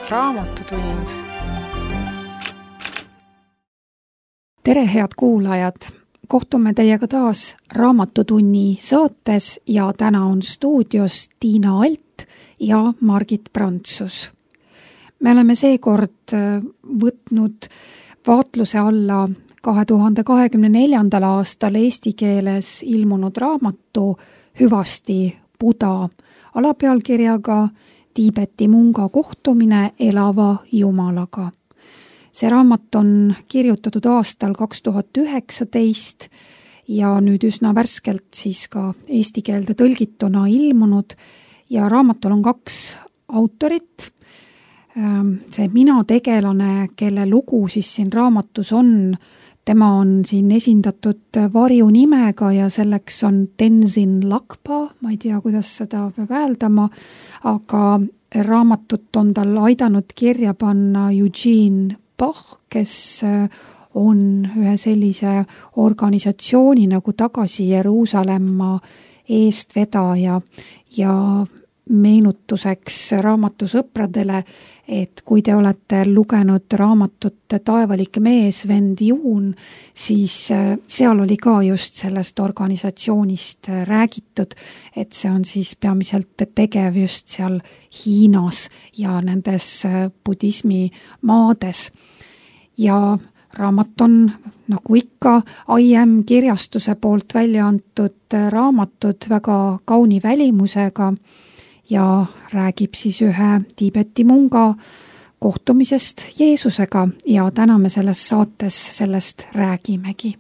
Raamatutund. Tere, head kuulajad! Kohtume teiega taas Raamatutunni saates ja täna on stuudios Tiina Alt ja Margit Prantsus. Me oleme seekord võtnud vaatluse alla 2024. aastal eesti keeles ilmunud raamatu Hüvasti Buda alapealkirjaga Tiibeti munga kohtumine elava jumalaga. See raamat on kirjutatud aastal 2019 ja nüüd üsna värskelt siis ka eesti keelde tõlgituna ilmunud ja raamatul on 2 autorit. See mina tegelane, kelle lugu siis siin raamatus on, tema on siin esindatud varjunimega ja selleks on Tenzin Lakpa, ma ei tea, kuidas seda peab hääldama, aga raamatut on tal aidanud kirja panna Eugene Bach, kes on ühe sellise organisatsiooni nagu Tagasi Jeruusalemma eestvedaja ja meenutuseks raamatusõpradele, et kui te olete lugenud raamatut Taevalik mees, vend Juun, siis seal oli ka just sellest organisatsioonist räägitud, et see on siis peamiselt tegev just seal Hiinas ja nendes budismi maades. Ja raamat on, nagu ikka, IM kirjastuse poolt välja antud raamatud väga kauni välimusega ja räägib siis ühe Tiibeti munga kohtumisest Jeesusega ja täna me selles saates sellest räägimegi.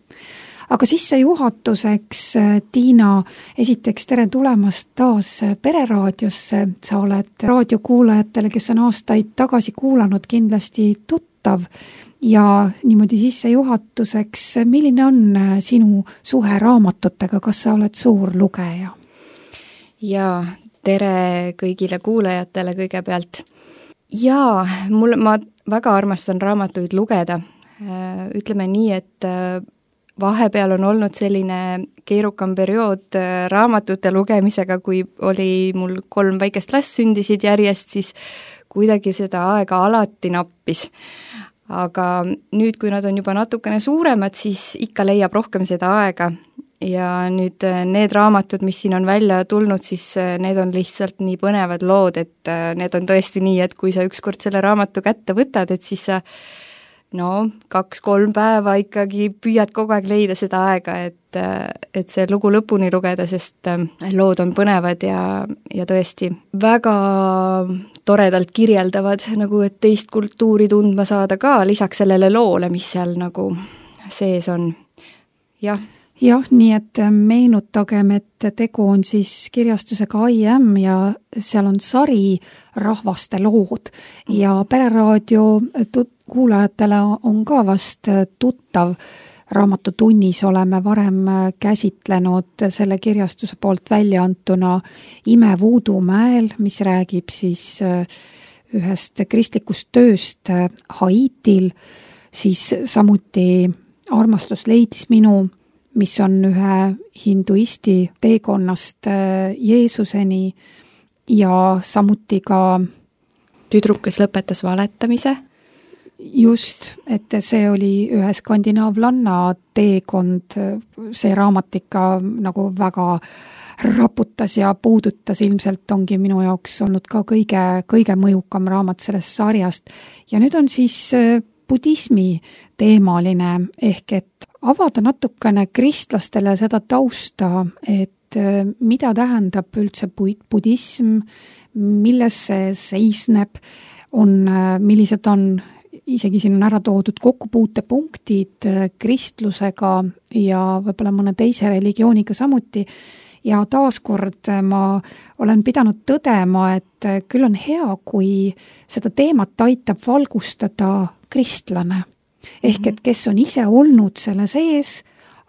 Aga sissejuhatuseks, Tiina, esiteks tere tulemast taas Pereraadiosse. Sa oled raadiokuulajatele, kes on aastaid tagasi kuulanud, kindlasti tuttav ja niimoodi sissejuhatuseks, milline on sinu suhe raamatutega, kas sa oled suur lugeja? Jaa, tere kõigile kuulajatele kõigepealt. Jaa, ma väga armastan raamatuid lugeda. Ütleme nii, et vahepeal on olnud selline keerukam periood raamatute lugemisega, kui oli mul 3 väikest last sündisid järjest, siis kuidagi seda aega alati nappis. Aga nüüd, kui nad on juba natukene suuremad, siis ikka leiab rohkem seda aega. Ja nüüd need raamatud, mis siin on välja tulnud, siis need on lihtsalt nii põnevad lood, et need on tõesti nii, et kui sa ükskord selle raamatu kätte võtad, et siis sa 2-3 päeva ikkagi püüad kogu aeg leida seda aega, et see lugu lõpuni lugeda, sest lood on põnevad ja tõesti väga toredalt kirjeldavad, nagu et teist kultuuri tundma saada ka, lisaks sellele loole, mis seal nagu sees on. Jah, nii et meenutagem, et tegu on siis kirjastusega IM ja seal on sari rahvaste lood ja Pereraadio kuulajatele on ka vast tuttav. Raamatutunnis oleme varem käsitlenud selle kirjastuse poolt välja antuna Ime Voodoo-mäel, mis räägib siis ühest kristlikust tööst Haitil, siis samuti Armastus leidis minu, mis on ühe hinduisti teekonnast Jeesuseni ja samuti ka Tüdruk, kes lõpetas valetamise. Just, et see oli ühe skandinaavlanna teekond, see raamat ikka nagu väga raputas ja puudutas, ilmselt ongi minu jaoks olnud ka kõige mõjukam raamat sellest sarjast. Ja nüüd on siis budismi teemaline, ehk et avada natukene kristlastele seda tausta, et mida tähendab üldse budism, milles see seisneb, millised on, isegi siin on ära toodud kokkupuutepunktid kristlusega ja võib-olla mõne teise religiooniga samuti. Ja taaskord ma olen pidanud tõdema, et küll on hea, kui seda teemat aitab valgustada kristlane. Ehk et kes on ise olnud selle sees,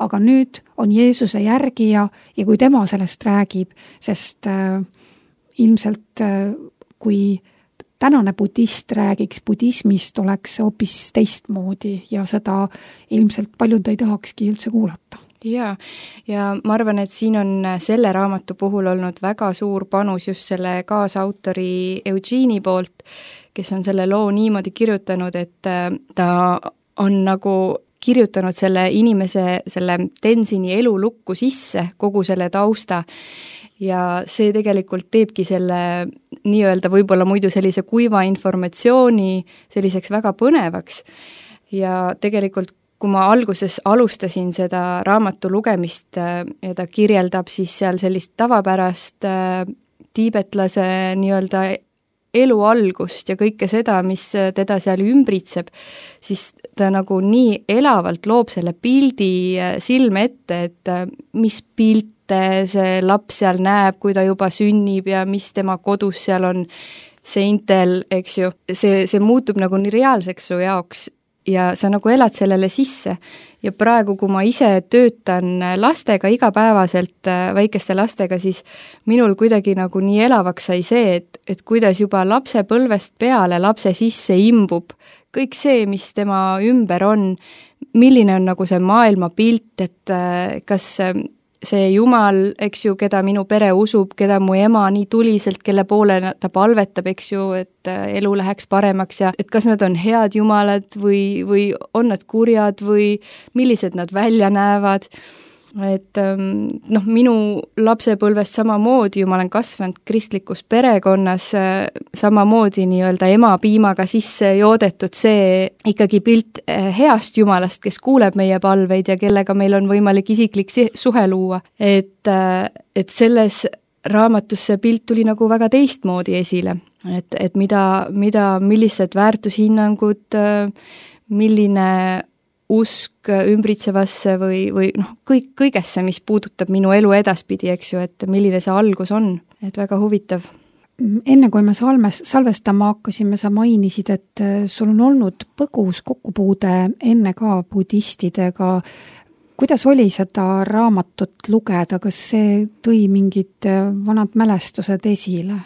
aga nüüd on Jeesuse järgija ja kui tema sellest räägib, sest ilmselt kui tänane budist räägiks budismist, oleks hoopis teistmoodi ja seda ilmselt paljud ei tahakski üldse kuulata. ja ma arvan, et siin on selle raamatu puhul olnud väga suur panus just selle kaasautori Eugene'i poolt, kes on selle loo niimoodi kirjutanud, et ta on nagu kirjutanud selle inimese, selle Tenzini elulukku sisse, kogu selle tausta, ja see tegelikult teebki selle nii-öelda võib-olla muidu sellise kuiva informatsiooni selliseks väga põnevaks. Ja tegelikult, kui ma alguses alustasin seda raamatu lugemist ja ta kirjeldab siis seal sellist tavapärast tiibetlase nii-öelda elu algust ja kõike seda, mis teda seal ümbritseb, siis ta nagu nii elavalt loob selle pildi silme ette, et mis pilte see laps seal näeb, kui ta juba sünnib ja mis tema kodus seal on seintel, eks ju. See muutub nagu nii reaalseks su jaoks ja sa nagu elad sellele sisse. Ja praegu, kui ma ise töötan lastega igapäevaselt, väikeste lastega, siis minul kuidagi nagu nii elavaks sai see, et kuidas juba lapsepõlvest peale lapse sisse imbub kõik see, mis tema ümber on, milline on nagu see maailmapilt, et kas see Jumal, eks ju, keda minu pere usub, keda mu ema nii tuliselt, kelle poole ta palvetab, eks ju, et elu läheks paremaks ja et kas nad on head jumalad või on nad kurjad või millised nad välja näevad. Et minu lapsepõlvest samamoodi ju ma olen kasvanud kristlikus perekonnas, samamoodi nii-öelda ema piimaga sisse joodetud see ikkagi pilt heast jumalast, kes kuuleb meie palveid ja kellega meil on võimalik isiklik suhe luua. Et selles raamatus see pilt tuli nagu väga teistmoodi esile, et millised väärtushinnangud, milline usk ümbritsevasse või kõigesse, mis puudutab minu elu edaspidi, eks ju, et milline see algus on, et väga huvitav. Enne kui me salvestama hakkasime, sa mainisid, et sul on olnud põgus kokkupuude enne ka budistidega. Kuidas oli seda raamatut lugeda, kas see tõi mingid vanad mälestused esile?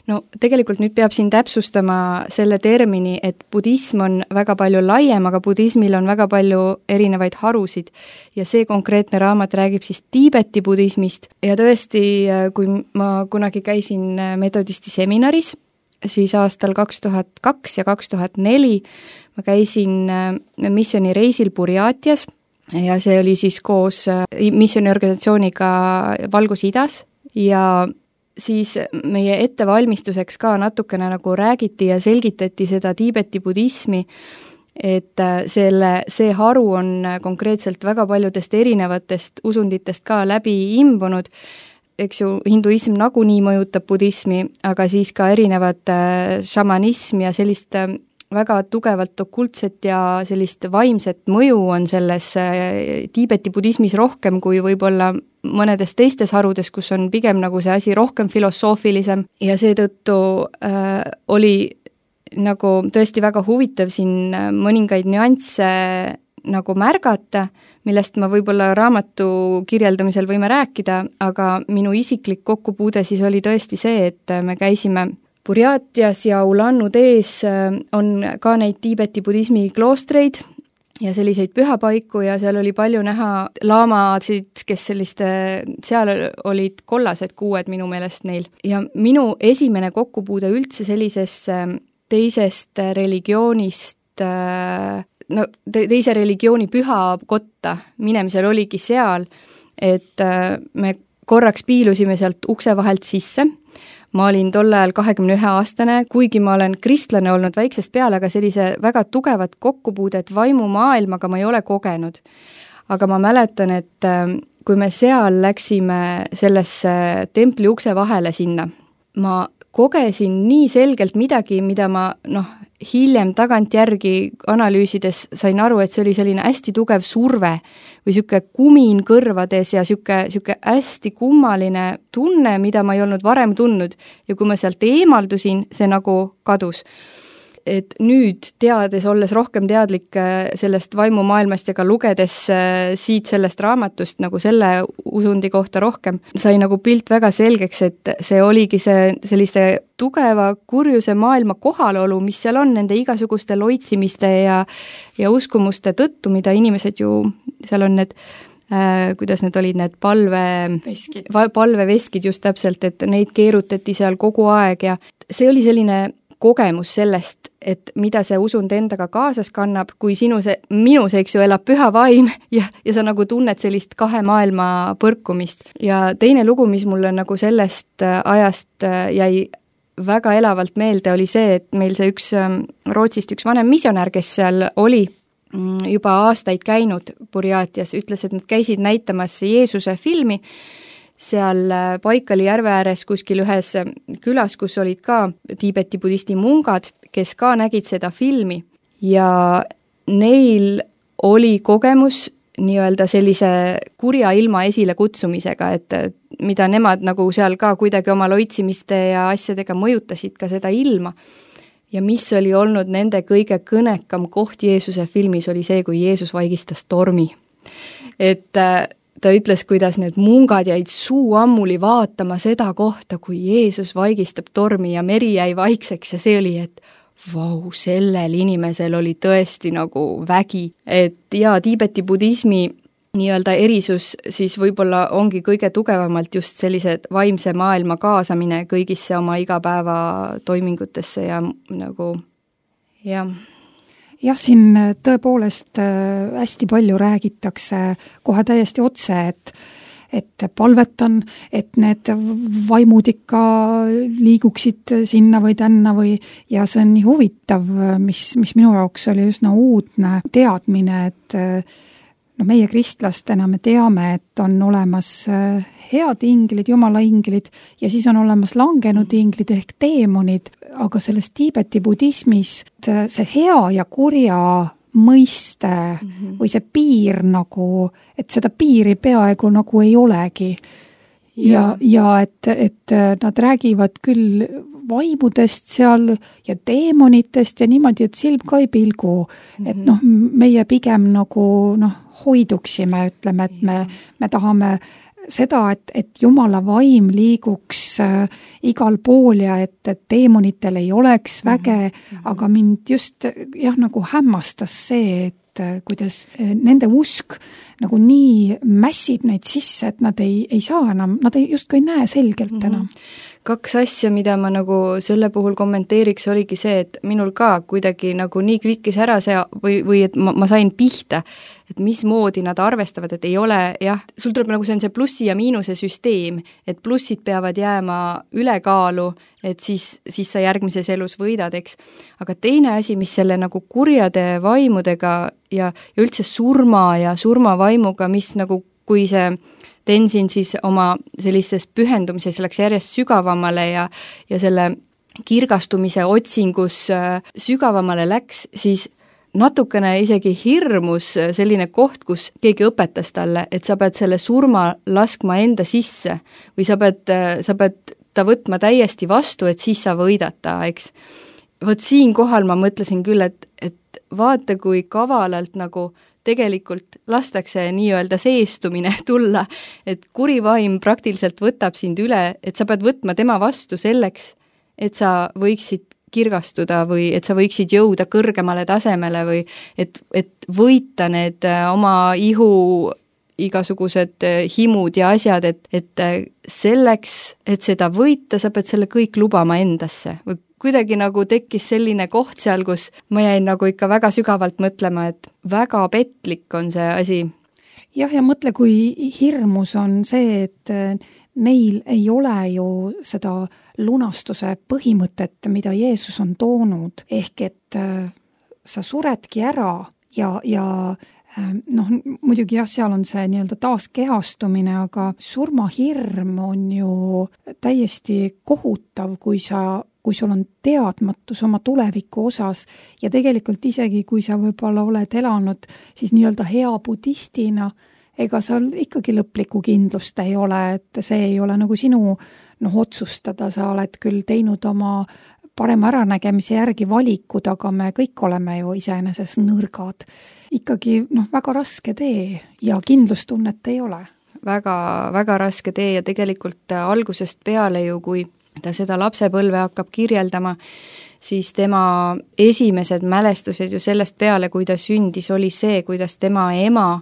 No tegelikult nüüd peab siin täpsustama selle termini, et budism on väga palju laiem, aga budismil on väga palju erinevaid harusid ja see konkreetne raamat räägib siis Tiibeti budismist ja tõesti, kui ma kunagi käisin metodisti seminaris, siis aastal 2002 ja 2004 ma käisin missioonireisil Burjaatias ja see oli siis koos missiooniorganisatsiooniga Valgus-Idas ja siis meie ettevalmistuseks ka natukene nagu räägiti ja selgitati seda Tiibeti budismi, et see haru on konkreetselt väga paljudest erinevatest usunditest ka läbi imbunud, eks ju, hinduism nagunii mõjutab budismi, aga siis ka erinevad šamanism ja sellist väga tugevalt okultset ja sellist vaimset mõju on selles Tiibeti budismis rohkem kui võib-olla mõnedes teistes harudes, kus on pigem nagu see asi rohkem filosoofilisem ja seetõttu oli nagu tõesti väga huvitav siin mõningaid nüansse nagu märgata, millest ma võib-olla raamatu kirjeldamisel võime rääkida, aga minu isiklik kokkupuude siis oli tõesti see, et me käisime Burjaatias ja Ulan-Udes on ka neid Tiibeti budismi kloostreid ja selliseid pühapaiku ja seal oli palju näha laamasid, kes seal olid kollased kuued minu meelest neil. Ja minu esimene kokkupuude üldse sellisest teisest religioonist, teise religiooni pühakotta minemisel oligi seal, et me korraks piilusime sealt ukse vahelt sisse. Ma olin tol ajal 21-aastane, kuigi ma olen kristlane olnud väiksest peale, aga sellise väga tugevat kokkupuudet vaimumaailmaga ma ei ole kogenud. Aga ma mäletan, et kui me seal läksime sellesse templi ukse vahele sinna, ma kogesin nii selgelt midagi, mida ma hiljem tagantjärgi analüüsides sain aru, et see oli selline hästi tugev surve või siuke kumin kõrvades ja siuke hästi kummaline tunne, mida ma ei olnud varem tundnud ja kui ma sealt eemaldusin, see nagu kadus. Et nüüd teades, olles rohkem teadlik sellest vaimumaailmast ja ka lugedes siit sellest raamatust nagu selle usundi kohta rohkem, sai nagu pilt väga selgeks, et see oligi sellise tugeva kurjuse maailma kohalolu, mis seal on nende igasuguste loitsimiste ja uskumuste tõttu, mida inimesed ju, seal on need kuidas need olid, need palveveskid just täpselt, et neid keerutati seal kogu aeg ja see oli selline kogemus sellest, et mida see usund endaga kaasas kannab, kui minus, eks ju, elab püha vaim ja sa nagu tunned sellist kahe maailma põrkumist. Ja teine lugu, mis mulle nagu sellest ajast jäi väga elavalt meelde, oli see, et meil see Rootsist üks vanem misionär, kes seal oli juba aastaid käinud Burjaatias, ütles, et nad käisid näitamas Jeesuse filmi seal Baikali järve ääres kuskil ühes külas, kus olid ka Tiibeti budisti mungad, kes ka nägid seda filmi ja neil oli kogemus nii-öelda sellise kurja ilma esile kutsumisega, et mida nemad nagu seal ka kuidagi oma loitsimiste ja asjadega mõjutasid ka seda ilma. Ja mis oli olnud nende kõige kõnekam koht Jeesuse filmis oli see, kui Jeesus vaigistas tormi. Et ta ütles, kuidas need mungad jäid suu ammuli vaatama seda kohta, kui Jeesus vaigistab tormi ja meri jäi vaikseks ja see oli, et vau, sellel inimesel oli tõesti nagu vägi. Et jaa, Tiibeti budismi nii-öelda erisus siis võib-olla ongi kõige tugevamalt just sellised vaimse maailma kaasamine kõigisse oma igapäeva toimingutesse ja nagu, jah. Jah, siin tõepoolest hästi palju räägitakse kohe täiesti otse, et palvetan, et need vaimud ikka liiguksid sinna või tänna ja see on nii huvitav, mis minu jaoks oli üsna uudne teadmine, et meie kristlastena me teame, et on olemas head inglid, jumala inglid ja siis on olemas langenud inglid ehk teemonid, aga selles Tiibeti budismis see hea ja kurja mõiste või see piir nagu, et seda piiri peaaegu nagu ei olegi. Ja et nad räägivad küll vaimudest seal ja teemonitest ja niimoodi, et silm ka ei pilgu. Et meie pigem nagu hoiduksime, ütleme, et me tahame seda, et jumala vaim liiguks igal pool ja et teemonitel ei oleks väge, aga mind just nagu hämmastas see, et kuidas nende usk nagu nii mässib neid sisse, et nad ei saa enam, nad justkui ei näe selgelt enam. Kaks asja, mida ma nagu selle puhul kommenteeriks, oligi see, et minul ka kuidagi nagu nii klikkis ära see või et ma sain pihta, et mismoodi nad arvestavad, et ei ole, jah, sul tuleb nagu see on see plussi ja miinuse süsteem, et plussid peavad jääma ülekaalu, et siis sa järgmises elus võidad, eks. Aga teine asi, mis selle nagu kurjade vaimudega ja üldse surma ja surmavaimuga, mis nagu kui see Tenzin siis oma sellistes pühendumises läks järjest sügavamale ja selle kirgastumise otsingus sügavamale läks, siis natukene isegi hirmus selline koht, kus keegi õpetas talle, et sa pead selle surma laskma enda sisse või sa peed ta võtma täiesti vastu, et siis sa võidad ta, eks. Vot siin kohal ma mõtlesin küll, et vaata, kui kavalalt nagu tegelikult lastakse nii-öelda seestumine tulla, et kurivaim praktiliselt võtab sind üle, et sa pead võtma tema vastu selleks, et sa võiksid kirgastuda või et sa võiksid jõuda kõrgemale tasemele või et võita need oma ihu igasugused himud ja asjad, et selleks, et seda võita, sa pead selle kõik lubama endasse või kuidagi nagu tekkis selline koht seal, kus ma jäin nagu ikka väga sügavalt mõtlema, et väga petlik on see asi. Jah, ja mõtle, kui hirmus on see, et neil ei ole ju seda lunastuse põhimõtet, mida Jeesus on toonud, ehk et sa suredki ära ja muidugi jah, seal on see nii-öelda taaskehastumine, aga surmahirm on ju täiesti kohutav, kui sul on teadmatus oma tuleviku osas ja tegelikult isegi, kui sa võib-olla oled elanud siis nii-öelda hea budistina, ega seal ikkagi lõplikku kindlust ei ole, et see ei ole nagu sinu otsustada, sa oled küll teinud oma parema äranägemise järgi valikud, aga me kõik oleme ju iseenesest nõrgad. Ikkagi väga raske tee ja kindlustunnet ei ole. Väga, väga raske tee ja tegelikult algusest peale ju, kui ta seda lapsepõlve hakkab kirjeldama, siis tema esimesed mälestused ju sellest peale, kui ta sündis, oli see, kuidas tema ema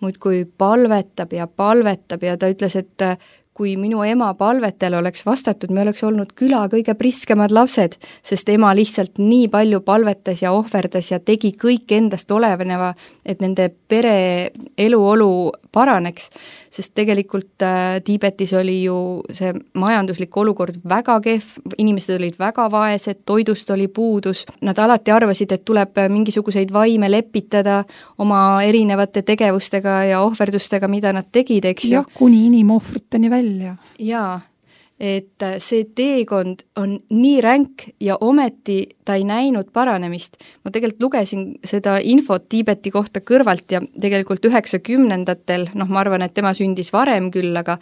muudkui palvetab ja ta ütles, et kui minu ema palvetele oleks vastatud, me oleks olnud küla kõige priskemad lapsed, sest ema lihtsalt nii palju palvetas ja ohverdas ja tegi kõik endast oleveneva, et nende pere eluolu paraneks, sest tegelikult Tiibetis oli ju see majanduslik olukord väga kehv, inimesed olid väga vaesed, toidust oli puudus, nad alati arvasid, et tuleb mingisuguseid vaime lepitada oma erinevate tegevustega ja ohverdustega, mida nad tegid, eks ju. Jah, kuni inimohvriteni välja. Jaa, et see teekond on nii ränk ja ometi ta ei näinud paranemist. Ma tegelikult lugesin seda infot Tiibeti kohta kõrvalt ja tegelikult 90-ndatel, ma arvan, et tema sündis varem küll, aga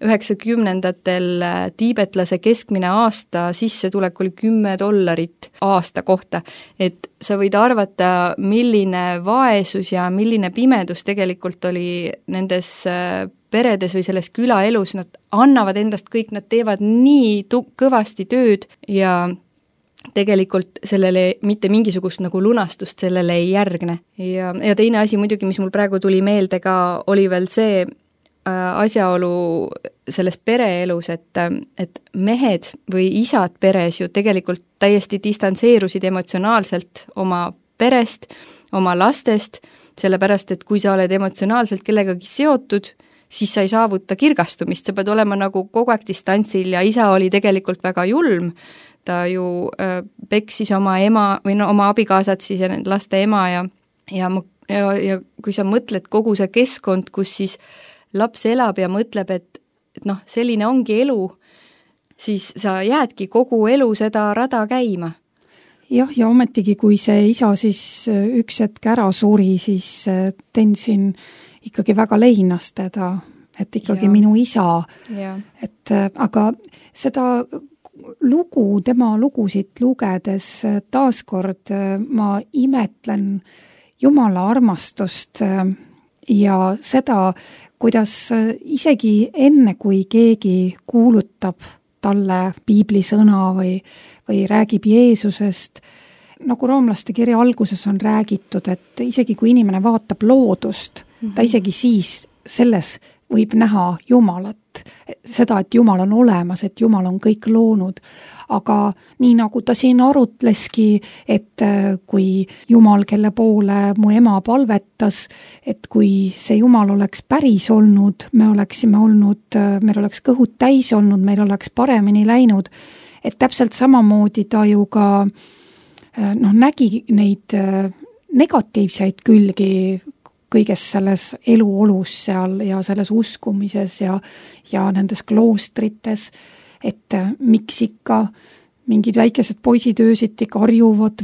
90-ndatel tiibetlase keskmine aasta sissetulek oli $10 aasta kohta. Et sa võid arvata, milline vaesus ja milline pimedus tegelikult oli nendes peredes või selles külaelus, nad annavad endast kõik, nad teevad nii kõvasti tööd ja tegelikult sellele mitte mingisugust nagu lunastust sellele ei järgne. Ja teine asi muidugi, mis mul praegu tuli meelde ka, oli veel see asjaolu selles pereelus, et mehed või isad peres ju tegelikult täiesti distantseerusid emotsionaalselt oma perest, oma lastest, sellepärast et kui sa oled emotsionaalselt kellegagi seotud, siis sa ei saavuta kirgastumist, sa pead olema nagu kogu aeg distantsil ja isa oli tegelikult väga julm, ta ju peksis oma ema või oma abikaasat siis ja laste ema ja kui sa mõtled kogu see keskkond, kus siis laps elab ja mõtleb, et selline ongi elu, siis sa jäädki kogu elu seda rada käima. Jah, ja ometigi, kui see isa siis üks hetk ära suri, siis Tenzin ikkagi väga leinas teda, et ikkagi minu isa. Et, aga seda lugu, tema lugusid lugedes taaskord ma imetlen Jumala armastust ja seda, kuidas isegi enne, kui keegi kuulutab talle piiblisõna või räägib Jeesusest, nagu roomlaste kirja alguses on räägitud, et isegi kui inimene vaatab loodust, ta isegi siis selles võib näha Jumalat, seda, et Jumal on olemas, et Jumal on kõik loonud. Aga nii nagu ta siin arutleski, et kui Jumal, kelle poole mu ema palvetas, et kui see Jumal oleks päris olnud, meil oleks kõhud täis olnud, meil oleks paremini läinud, et täpselt samamoodi ta ju ka nägi neid negatiivseid külgi kõiges selles eluolus seal ja selles uskumises ja nendes kloostrites, et miks ikka mingid väikesed poisid öösiti karjuvad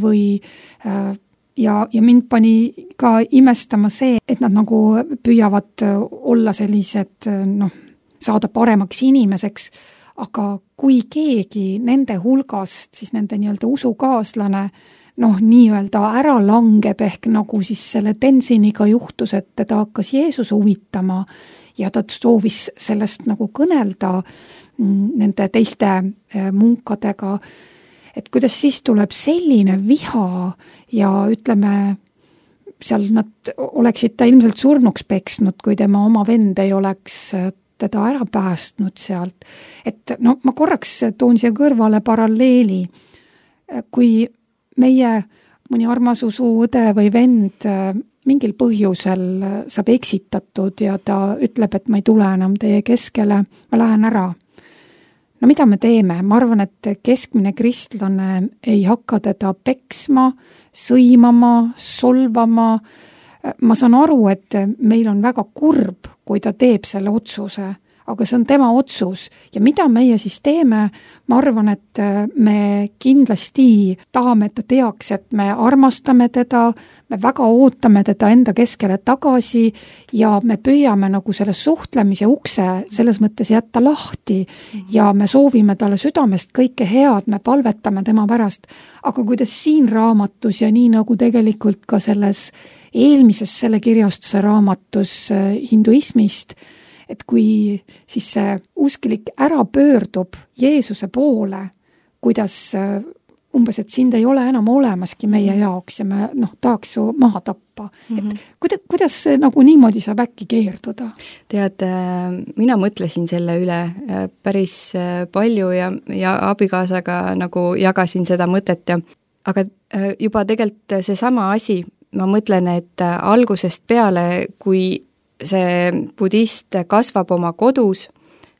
ja mind pani ka imestama see, et nad nagu püüavad olla sellised, saada paremaks inimeseks, aga kui keegi nende hulgast, siis nende nii-öelda usukaaslane, nii-öelda ära langeb ehk nagu siis selle Tenziniga juhtus, et teda hakkas Jeesus huvitama ja ta soovis sellest nagu kõnelda nende teiste munkadega, et kuidas siis tuleb selline viha ja ütleme, seal nad oleksid ta ilmselt surnuks peksnud, kui tema oma vend ei oleks teda ära päästnud sealt. Et ma korraks toon siia kõrvale paralleeli, kui meie mõni armas usuõde või vend mingil põhjusel saab eksitatud ja ta ütleb, et ma ei tule enam teie keskele, ma lähen ära. Mida me teeme? Ma arvan, et keskmine kristlane ei hakka teda peksma, sõimama, solvama. Ma saan aru, et meil on väga kurb, kui ta teeb selle otsuse, aga see on tema otsus ja mida meie siis teeme, ma arvan, et me kindlasti tahame, et ta teaks, et me armastame teda, me väga ootame teda enda keskele tagasi ja me püüame nagu selle suhtlemise ukse selles mõttes jätta lahti ja me soovime talle südamest kõike head, me palvetame tema pärast, aga kuidas siin raamatus ja nii nagu tegelikult ka selles eelmises selle kirjastuse raamatus hinduismist, et kui siis see usklik ära pöördub Jeesuse poole, kuidas umbes, et sind ei ole enam olemaski meie jaoks ja me tahaks su maha tappa. Et kuidas see nagu niimoodi saab äkki keerduda? Tead, mina mõtlesin selle üle päris palju ja abikaasaga nagu jagasin seda mõtet aga juba tegelikult seesama asi, ma mõtlen, et algusest peale, kui see budist kasvab oma kodus,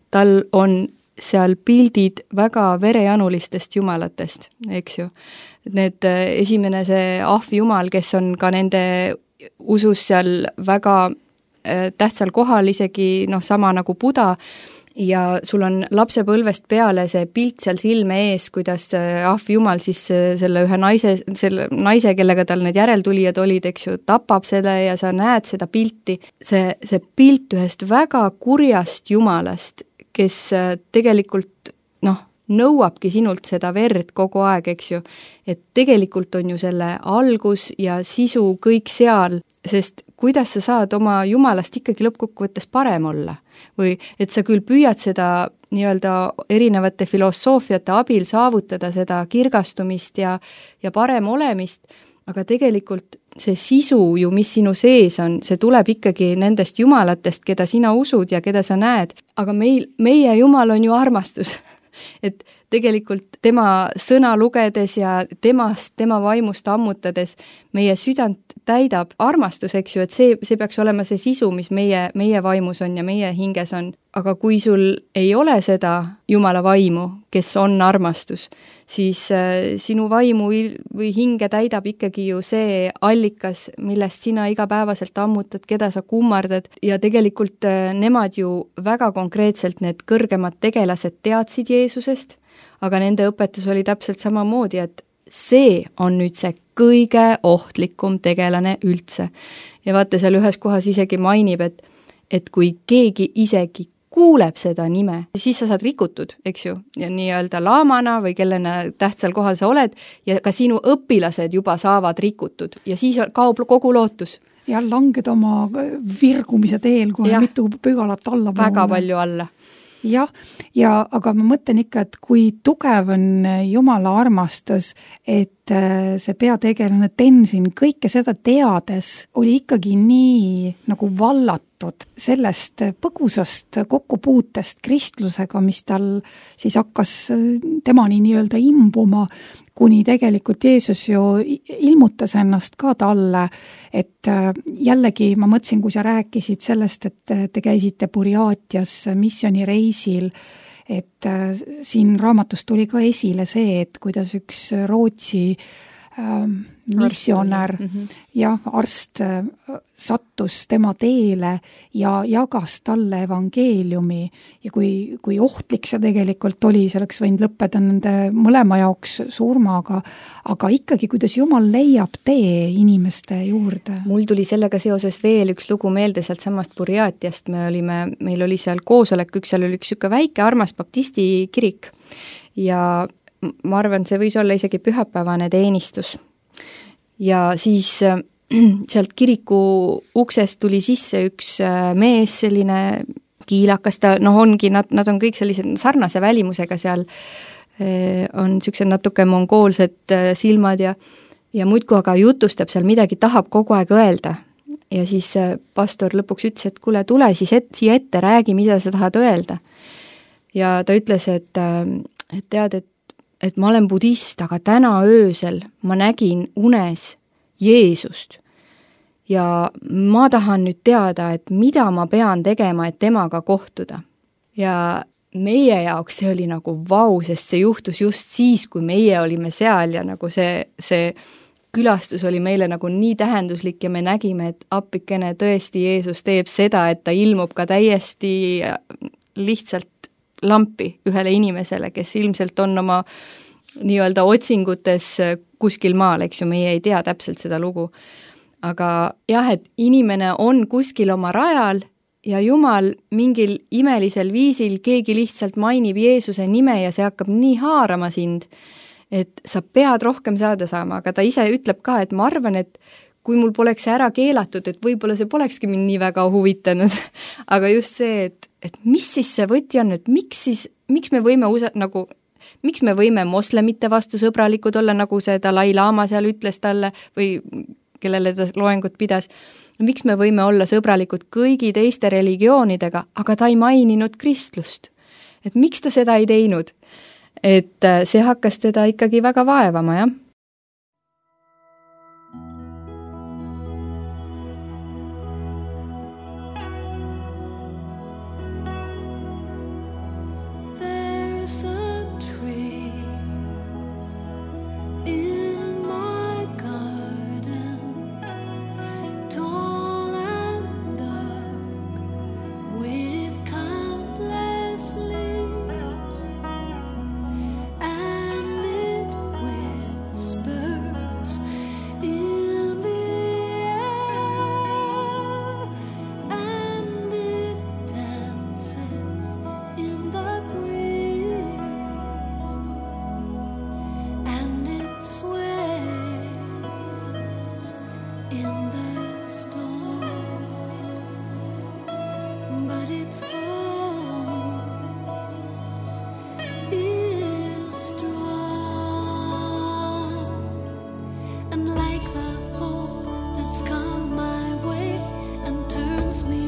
tal on seal pildid väga verejanulistest jumalatest, eks ju. Need esimene see ahvjumal, kes on ka nende usus seal väga tähtsal kohal, isegi sama nagu Buda, ja sul on lapsepõlvest peale see pilt seal silme ees, kuidas ahvjumal siis selle ühe naise, kellega tal need järeltulijad olid, eks ju, tapab selle ja sa näed seda pilti. See pilt ühest väga kurjast jumalast, kes tegelikult nõuabki sinult seda verd kogu aeg, eks ju. Et tegelikult on ju selle algus ja sisu kõik seal, sest kuidas sa saad oma jumalast ikkagi lõppkokkuvõttes parem olla? Või et sa küll püüad seda nii-öelda erinevate filosoofiate abil saavutada seda kirgastumist ja parem olemist, aga tegelikult see sisu ju, mis sinu sees on, see tuleb ikkagi nendest jumalatest, keda sina usud ja keda sa näed. Aga meie jumal on ju armastus. Et tegelikult tema sõna lugedes ja tema vaimust ammutades meie südant täidab armastus, eks ju, et see peaks olema see sisu, mis meie vaimus on ja meie hinges on. Aga kui sul ei ole seda Jumala vaimu, kes on armastus, siis sinu vaimu või hinge täidab ikkagi ju see allikas, millest sina igapäevaselt ammutad, keda sa kummardad ja tegelikult nemad ju väga konkreetselt, need kõrgemad tegelased teadsid Jeesusest, aga nende õpetus oli täpselt samamoodi, et see on nüüd see kõige ohtlikum tegelane üldse. Ja vaata, seal ühes kohas isegi mainib, et kui keegi isegi kuuleb seda nime, siis sa saad rikutud, eks ju, ja nii-öelda laamana või kellena tähtsal kohal sa oled ja ka sinu õpilased juba saavad rikutud ja siis kaob kogu lootus. Ja langed oma virgumise teel kohe mitu pügalat alla. Väga palju alla. Jah, aga ma mõtlen ikka, et kui tugev on Jumala armastus, et see peategelane Tenzin kõike seda teades oli ikkagi nii nagu vallatud sellest põgusast kokkupuutest kristlusega, mis tal siis hakkas temani nii-öelda imbuma, kuni tegelikult Jeesus ju ilmutas ennast ka talle, et jällegi ma mõtlesin, kui sa rääkisid sellest, et te käisite Burjaatias missioonireisil, et siin raamatus tuli ka esile see, et kuidas üks Rootsi missionär ja arst sattus tema teele ja jagas talle evangeeliumi ja kui ohtlik see tegelikult oli, see oleks võinud lõppeda nende mõlema jaoks surmaga, aga ikkagi, kuidas Jumal leiab tee inimeste juurde. Mul tuli sellega seoses veel üks lugu meelde sealt samast Burjaatiast, meil oli seal koosolek, seal oli üks siuke väike armas baptisti kirik ja ma arvan, see võis olla isegi pühapäevane teenistus. Ja siis sealt kiriku uksest tuli sisse üks mees, selline kiilakas, ongi, nad on kõik sellised sarnase välimusega seal, on sellised natuke mongoolsed silmad ja muidku aga jutustab seal midagi, tahab kogu aeg öelda. Ja siis pastor lõpuks ütles, et kuule, tule siis siia ette, räägi, mida sa tahad öelda. Ja ta ütles, et tead, et ma olen budist, aga täna öösel ma nägin unes Jeesust ja ma tahan nüüd teada, et mida ma pean tegema, et temaga kohtuda. Ja meie jaoks see oli nagu vau, sest see juhtus just siis, kui meie olime seal ja nagu see külastus oli meile nagu nii tähenduslik ja me nägime, et appikene tõesti Jeesus teeb seda, et ta ilmub ka täiesti lihtsalt lampi ühele inimesele, kes ilmselt on oma nii-öelda otsingutes kuskil maal, eks ju, meie ei tea täpselt seda lugu. Aga jah, et inimene on kuskil oma rajal ja Jumal mingil imelisel viisil, keegi lihtsalt mainib Jeesuse nime ja see hakkab nii haarama sind, et sa pead rohkem saada saama, aga ta ise ütleb ka, et ma arvan, et kui mul poleks ära keelatud, et võib-olla see polekski mind nii väga huvitanud, aga just see, et mis siis see võti on, et miks me võime nagu Miks me võime moslemite vastu sõbralikud olla, nagu see Dalai Lama seal ütles talle või kellele ta loengut pidas? Miks me võime olla sõbralikud kõigi teiste religioonidega, aga ta ei maininud kristlust? Et miks ta seda ei teinud? Et see hakkas teda ikkagi väga vaevama, jah? Turns me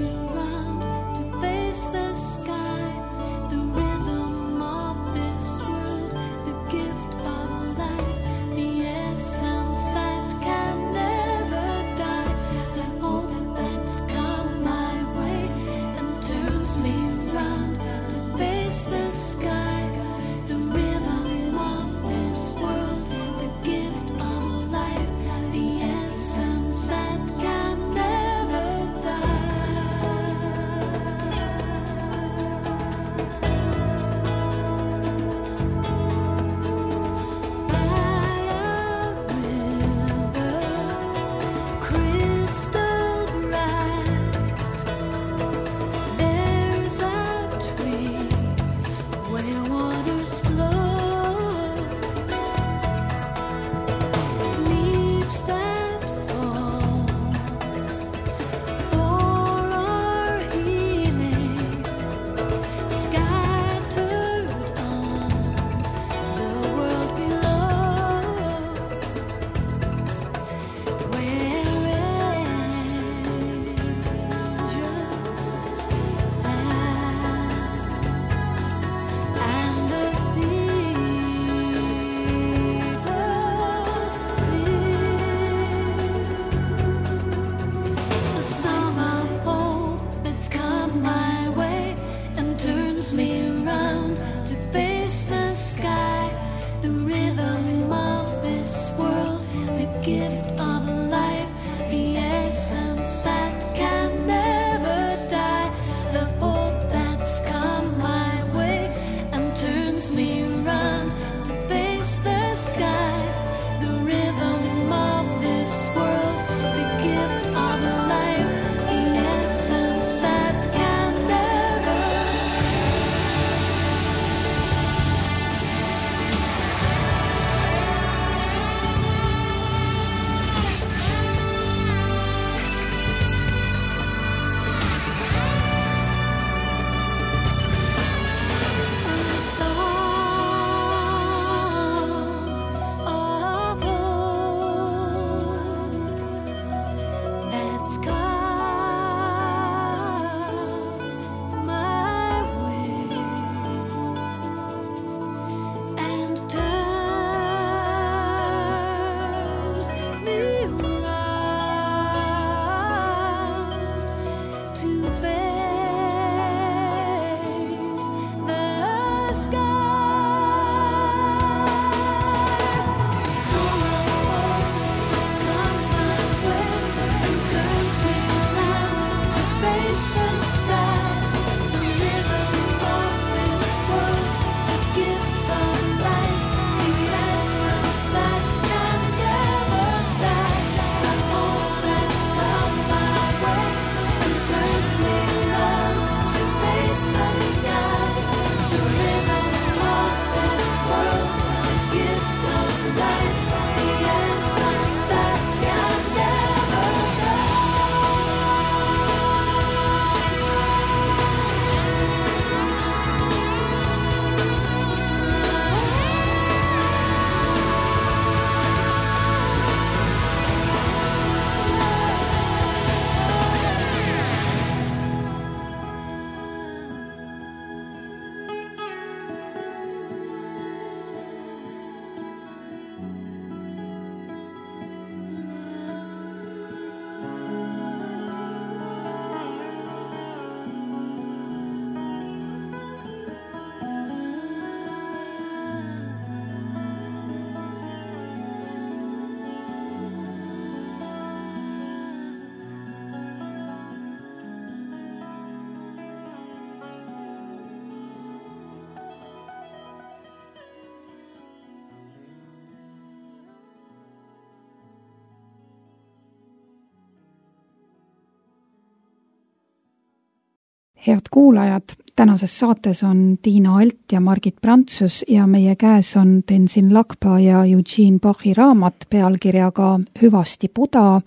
Head kuulajad, tänases saates on Tiina Alt ja Margit Prantsus ja meie käes on Tenzin Lakpa ja Eugene Bachi raamat pealkirjaga Hüvasti Buda.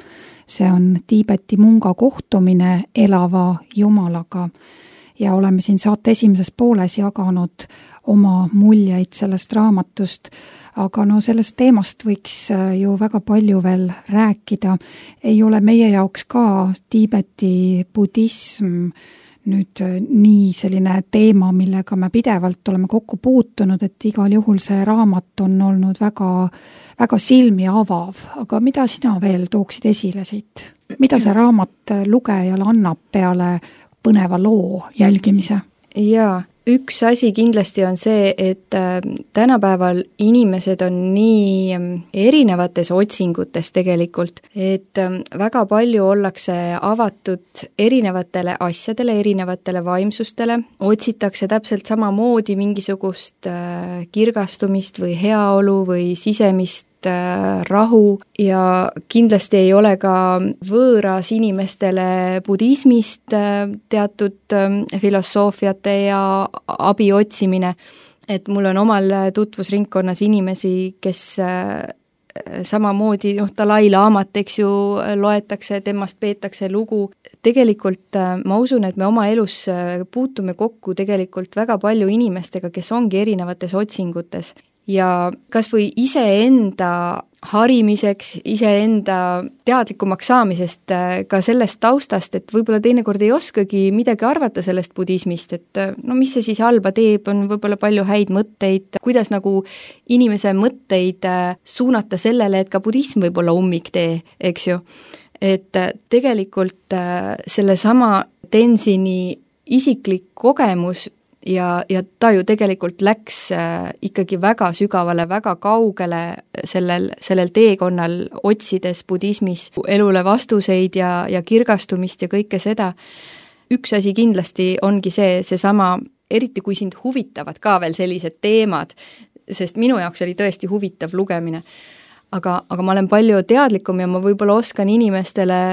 See on Tiibeti munga kohtumine elava jumalaga. Ja oleme siin saate esimeses pooles jaganud oma muljeid sellest raamatust, aga sellest teemast võiks ju väga palju veel rääkida. Ei ole meie jaoks ka Tiibeti budism nüüd nii selline teema, millega me pidevalt oleme kokku puutunud, et igal juhul see raamat on olnud väga, väga silmi avav. Aga mida sina veel tooksid esile siit? Mida see raamat lugejale annab peale põneva loo jälgimise? Jaa, üks asi kindlasti on see, et tänapäeval inimesed on nii erinevates otsingutes tegelikult, et väga palju ollakse avatud erinevatele asjadele, erinevatele vaimsustele, otsitakse täpselt samamoodi mingisugust kirgastumist või heaolu või sisemist rahu ja kindlasti ei ole ka võõras inimestele budismist teatud filosoofiate ja abi otsimine, et mul on omal tutvusringkonnas inimesi, kes samamoodi, Dalai Laamat, eks ju, loetakse, temast peetakse lugu. Tegelikult ma usun, et me oma elus puutume kokku tegelikult väga palju inimestega, kes ongi erinevates otsingutes. Ja kas või iseenda harimiseks, iseenda teadlikumaks saamisest ka sellest taustast, et võib-olla teinekord ei oskagi midagi arvata sellest budismist, et mis see siis halba teeb, on võib-olla palju häid mõtteid, kuidas nagu inimese mõtteid suunata sellele, et ka budism võib olla ummiktee, eks ju. Et tegelikult sellesama Tenzini isiklik kogemus ja ta ju tegelikult läks ikkagi väga sügavale, väga kaugele sellel teekonnal otsides budismis elule vastuseid ja kirgastumist ja kõike seda. Üks asi kindlasti ongi seesama, eriti kui sind huvitavad ka veel sellised teemad, sest minu jaoks oli tõesti huvitav lugemine. Aga ma olen palju teadlikum ja ma võib-olla oskan inimestele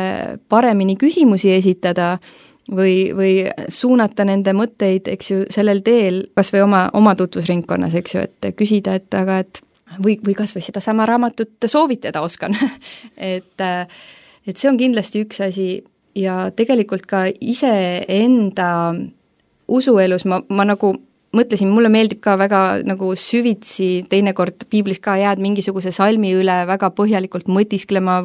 paremini küsimusi esitada, või suunata nende mõtteid, eks ju, sellel teel, kas või oma tutvusringkonnas, eks ju, et küsida, või kas või seda sama raamatut soovitada oskan. et see on kindlasti üks asi ja tegelikult ka iseenda usuelus ma nagu mõtlesin, mulle meeldib ka väga nagu süvitsi, teinekord piiblis ka jääd mingisuguse salmi üle väga põhjalikult mõtisklema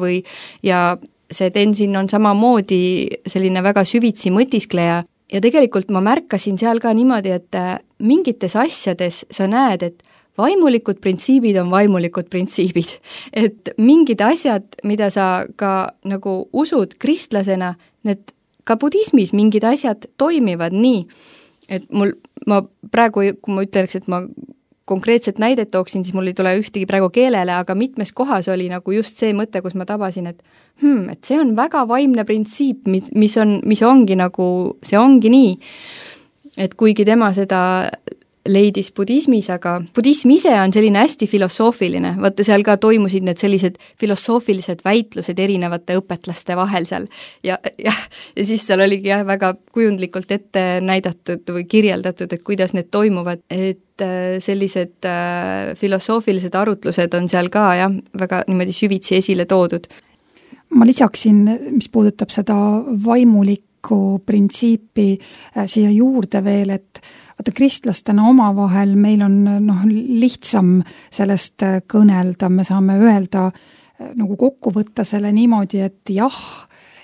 ja see Tenzin on samamoodi selline väga süvitsi mõtiskleja ja tegelikult ma märkasin seal ka niimoodi, et mingites asjades sa näed, et vaimulikud printsiibid on vaimulikud printsiibid. Et mingid asjad, mida sa ka nagu usud kristlasena, need ka budismis mingid asjad toimivad nii, et ma praegu, kui ma ütleks, et ma konkreetset näidet tooksin, siis mul ei tule ühtegi praegu keelele, aga mitmes kohas oli nagu just see mõte, kus ma tabasin, et see on väga vaimne printsiip, mis ongi nagu, see ongi nii. Et kuigi tema seda leidis budismis, aga budism ise on selline hästi filosoofiline, vaata seal ka toimusid need sellised filosoofilised väitlused erinevate õpetlaste vahel seal ja siis seal oligi väga kujundlikult ette näidatud või kirjeldatud, et kuidas need toimuvad, et sellised filosoofilised arutlused on seal ka väga niimoodi süvitsi esile toodud. Ma lisaksin, mis puudutab seda vaimulikku printsiipi siia juurde veel, et vaata kristlastena omavahel meil on lihtsam sellest kõnelda, me saame öelda nagu kokku võtta selle niimoodi, et jah,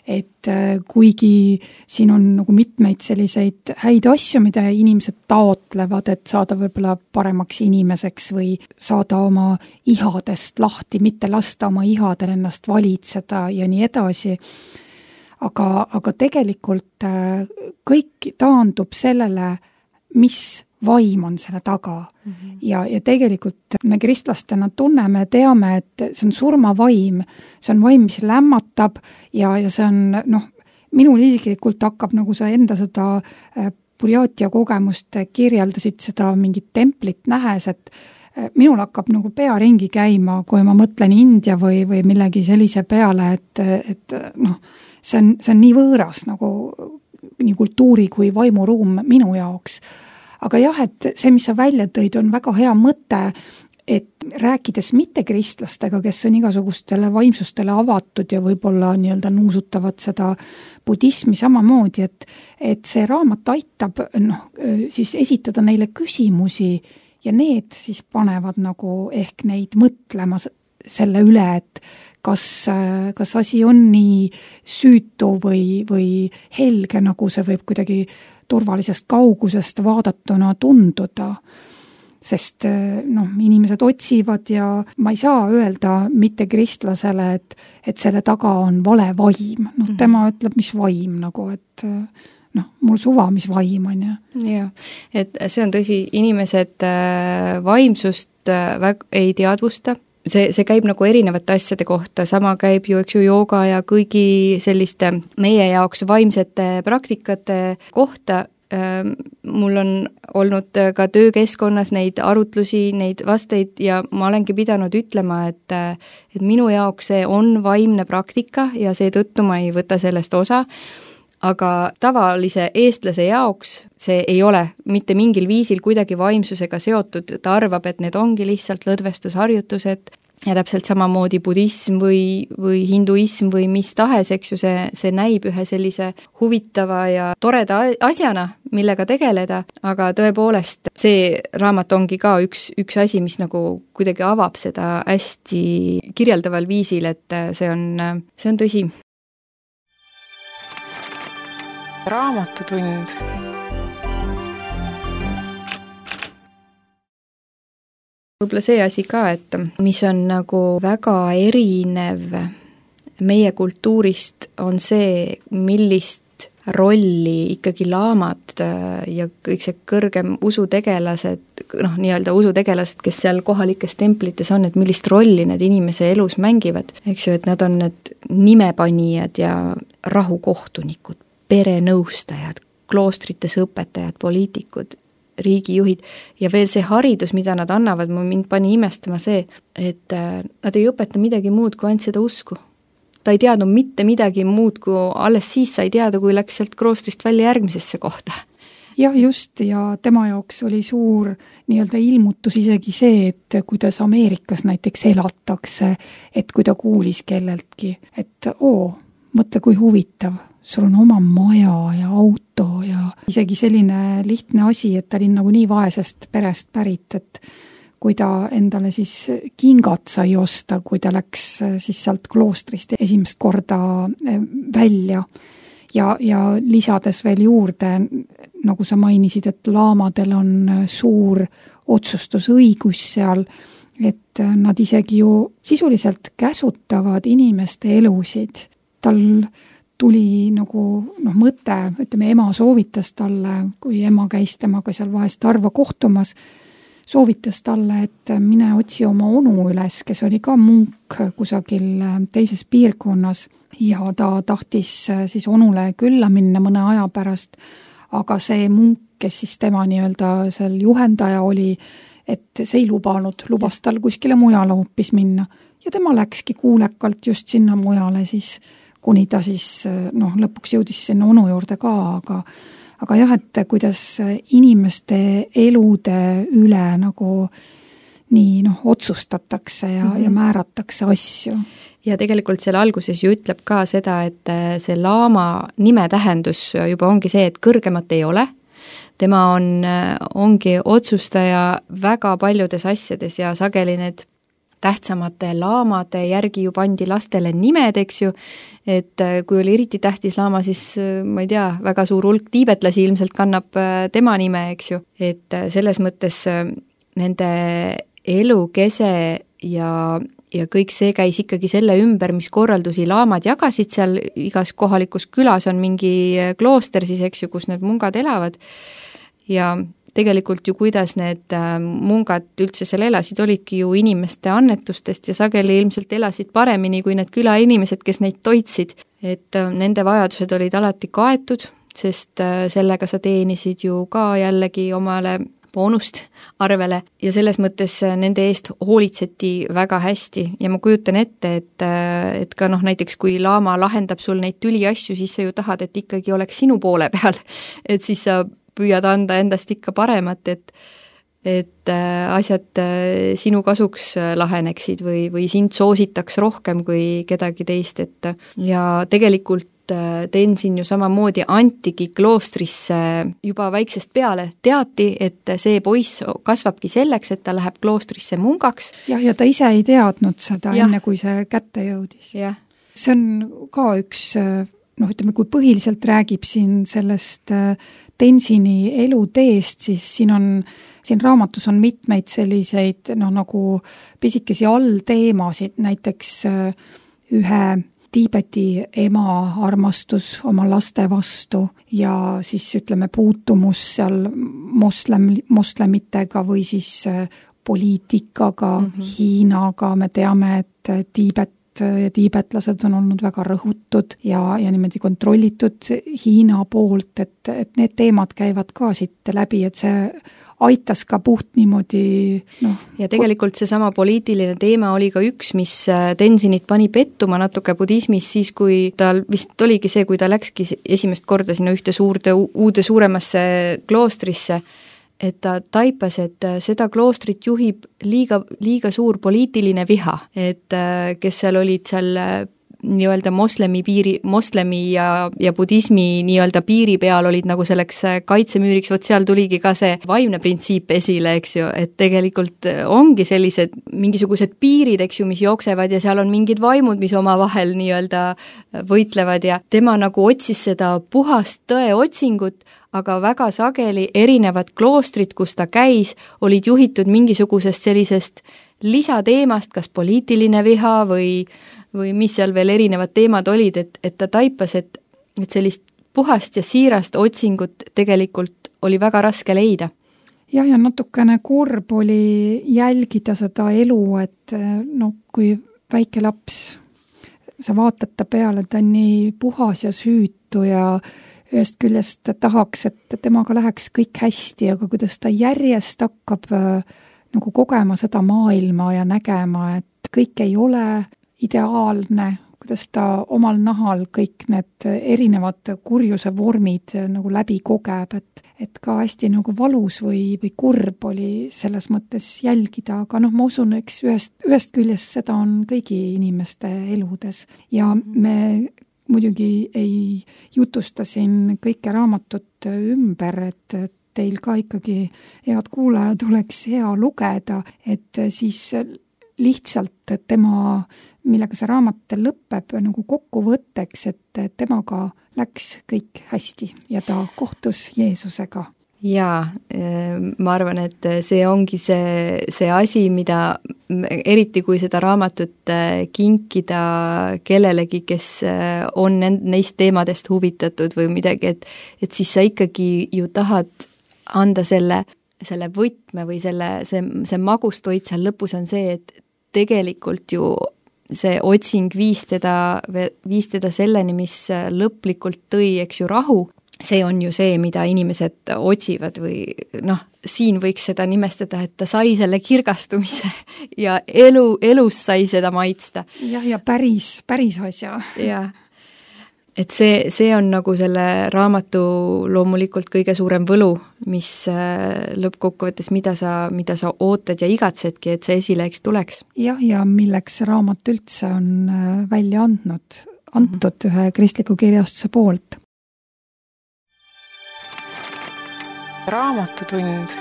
et kuigi siin on nagu mitmeid selliseid häid asju, mida inimesed taotlevad, et saada võib-olla paremaks inimeseks või saada oma ihadest lahti, mitte lasta oma ihadel ennast valitseda ja nii edasi. Aga tegelikult kõik taandub sellele, mis vaim on selle taga. Ja tegelikult me kristlastena tunneme, teame, et see on surmavaim, see on vaim, mis lämmatab ja see on, minul isiklikult hakkab, nagu sa enda seda Burjaatia kogemust kirjeldasid, seda mingit templit nähes, et minul hakkab nagu pea ringi käima, kui ma mõtlen India või millegi sellise peale, et see on nii võõras nagu nii kultuuri kui vaimuruum minu jaoks. Aga jah, et see, mis sa välja tõid, on väga hea mõte, et rääkides mittekristlastega, kes on igasugustele vaimsustele avatud ja võib-olla nii-öelda nuusutavad seda budismi samamoodi, et see raamat aitab siis esitada neile küsimusi ja need siis panevad nagu ehk neid mõtlema selle üle, et kas asi on nii süütu või helge, nagu see võib kuidagi turvalisest kaugusest vaadatuna tunduda. Sest inimesed otsivad ja ma ei saa öelda mitte kristlasele, et selle taga on vale vaim. Tema ütleb, mis vaim nagu, et mul suva, mis vaim on. Jah, et see on tõsi, inimesed vaimsust ei teadvusta. See käib nagu erinevate asjade kohta, sama käib ju, eks ju, jooga ja kõigi selliste meie jaoks vaimsete praktikate kohta. Mul on olnud ka töökeskkonnas neid arutlusi, neid vasteid ja ma olengi pidanud ütlema, et minu jaoks see on vaimne praktika ja seetõttu ma ei võta sellest osa, aga tavalise eestlase jaoks see ei ole mitte mingil viisil kuidagi vaimsusega seotud, ta arvab, et need ongi lihtsalt lõdvestusharjutused ja täpselt samamoodi budism või hinduism või mis tahes, eks ju, see näib ühe sellise huvitava ja toreda asjana, millega tegeleda, aga tõepoolest see raamat ongi ka üks asi, mis nagu kuidagi avab seda hästi kirjeldaval viisil, et see on tõsi. Raamatutund. Võib-olla see asi ka, et mis on nagu väga erinev meie kultuurist, on see, millist rolli ikkagi laamad ja kõik see kõrgem usutegelased, nii-öelda usutegelased, kes seal kohalikes templites on, et millist rolli need inimese elus mängivad, eks ju, et nad on need nimepanijad ja rahukohtunikud, perenõustajad, kloostrites õpetajad, poliitikud, riigijuhid ja veel see haridus, mida nad annavad, mind pani imestama see, et nad ei õpeta midagi muud kui ainult seda usku. Ta ei teadnud mitte midagi muud, kui alles siis sai teada, kui läks sealt kloostrist välja järgmisesse kohta. Jah, just, ja tema jaoks oli suur nii-öelda ilmutus isegi see, et kuidas Ameerikas näiteks elatakse, et kui ta kuulis kelleltki, et mõtle kui huvitav, sul on oma maja ja auto ja isegi selline lihtne asi, et ta oli nagu nii vaesest perest pärit, et kui ta endale siis kingad sai osta, kui ta läks siis sealt kloostrist esimest korda välja ja lisades veel juurde, nagu sa mainisid, et laamadel on suur otsustusõigus seal, et nad isegi ju sisuliselt käsutavad inimeste elusid. Tal tuli nagu mõte, ütleme, ema soovitas talle, kui ema käis temaga seal vahest harva kohtumas, soovitas talle, et mine otsi oma onu üles, kes oli ka munk kusagil teises piirkonnas ja ta tahtis siis onule külla minna mõne aja pärast, aga see munk, kes siis tema nii-öelda seal juhendaja oli, et see ei lubas tal kuskile mujale hoopis minna ja tema läkski kuulekalt just sinna mujale siis, kuni ta siis lõpuks jõudis sinna onu juurde ka, aga jah, et kuidas inimeste elude üle nagu nii otsustatakse ja määratakse asju. Ja tegelikult seal alguses ju ütleb ka seda, et see laama nime tähendus juba ongi see, et kõrgemat ei ole. Tema ongi otsustaja väga paljudes asjades ja sageli need tähtsamate laamade järgi ju pandi lastele nimed, eks ju, et kui oli eriti tähtis laama, siis ma ei tea, väga suur hulk tiibetlasi ilmselt kannab tema nime, eks ju, et selles mõttes nende elukese ja kõik see käis ikkagi selle ümber, mis korraldusi laamad jagasid seal, igas kohalikus külas on mingi klooster siis, eks ju, kus need mungad elavad ja tegelikult ju kuidas need mungad üldse seal elasid, olidki ju inimeste annetustest ja sageli ilmselt elasid paremini kui need külainimesed, kes neid toitsid. Et nende vajadused olid alati kaetud, sest sellega sa teenisid ju ka jällegi omale boonust arvele ja selles mõttes nende eest hoolitseti väga hästi ja ma kujutan ette, et ka näiteks kui laama lahendab sul neid tüliasju, siis sa ju tahad, et ikkagi oleks sinu poole peal, et siis sa püüad anda endast ikka paremat, et asjad sinu kasuks laheneksid või sind soositaks rohkem kui kedagi teist, et ja tegelikult Tenzin ju samamoodi antigi kloostrisse juba väiksest peale, teati, et see poiss kasvabki selleks, et ta läheb kloostrisse mungaks. Ja ta ise ei teadnud seda enne, kui see kätte jõudis. See on ka üks, ütleme, kui põhiliselt räägib siin sellest Tenzini eluteest, siis siin raamatus on mitmeid selliseid nagu pisikesi allteemasid, näiteks ühe Tiibeti ema armastus oma laste vastu ja siis ütleme puutumus seal moslemitega või siis poliitikaga, Hiinaga, me teame, et Tiibet ja tiibetlased on olnud väga rõhutud ja niimoodi kontrollitud Hiina poolt, et need teemad käivad ka siit läbi, et see aitas ka puht niimoodi ja tegelikult seesama poliitiline teema oli ka üks, mis Tenzinit pani pettuma natuke budismis siis, kui tal vist oligi see, kui ta läkski esimest korda sinna ühte uude suuremasse kloostrisse, et ta taipas, et seda kloostrit juhib liiga suur poliitiline viha, et kes seal olid seal nii-öelda moslemi ja budismi nii-öelda piiri peal olid nagu selleks kaitsemüüriks, vot seal tuligi ka see vaimne printsiip esile, eks ju, et tegelikult ongi sellised mingisugused piirid, eks ju, mis jooksevad ja seal on mingid vaimud, mis omavahel nii-öelda võitlevad ja tema nagu otsis seda puhast tõe otsingut, aga väga sageli erinevad kloostrid, kus ta käis, olid juhitud mingisugusest sellisest lisateemast, kas poliitiline viha või mis seal veel erinevad teemad olid, et ta taipas, et sellist puhast ja siirast otsingut tegelikult oli väga raske leida. Ja natukene kurb oli jälgida seda elu, et kui väike laps, sa vaatad ta peale, ta on nii puhas ja süütu ja ühest küljest tahaks, et temaga läheks kõik hästi, aga kuidas ta järjest hakkab nagu kogema seda maailma ja nägema, et kõik ei ole ideaalne, kuidas ta omal nahal kõik need erinevad kurjuse vormid nagu läbi kogeb, et ka hästi nagu valus või kurb oli selles mõttes jälgida, aga ma usun, eks ühest küljest seda on kõigi inimeste eludes ja me muidugi ei jutusta siin kõike raamatut ümber, et teil ka ikkagi, head kuulajad, oleks hea lugeda, et siis lihtsalt tema, millega see raamat lõpeb nagu kokkuvõtteks, et temaga läks kõik hästi ja ta kohtus Jeesusega. Jaa, ma arvan, et see ongi see asi, mida eriti kui seda raamatut kinkida kellelegi, kes on neist teemadest huvitatud või midagi, et siis sa ikkagi ju tahad anda selle võtme või see magustoit seal lõpus on see, et tegelikult ju see otsing viis teda selleni, mis lõplikult tõi, eks ju, rahu. See on ju see, mida inimesed otsivad või siin võiks seda nimestada, et ta sai selle kirgastumise ja elus sai seda maitsta. Ja päris asja. Jah. Et see on nagu selle raamatu loomulikult kõige suurem võlu, mis lõppkokkuvõttes, mida sa ootad ja igatsedki, et see esile eks tuleks. Ja milleks raamat üldse on välja antud ühe kristliku kirjastuse poolt. Raamatutund.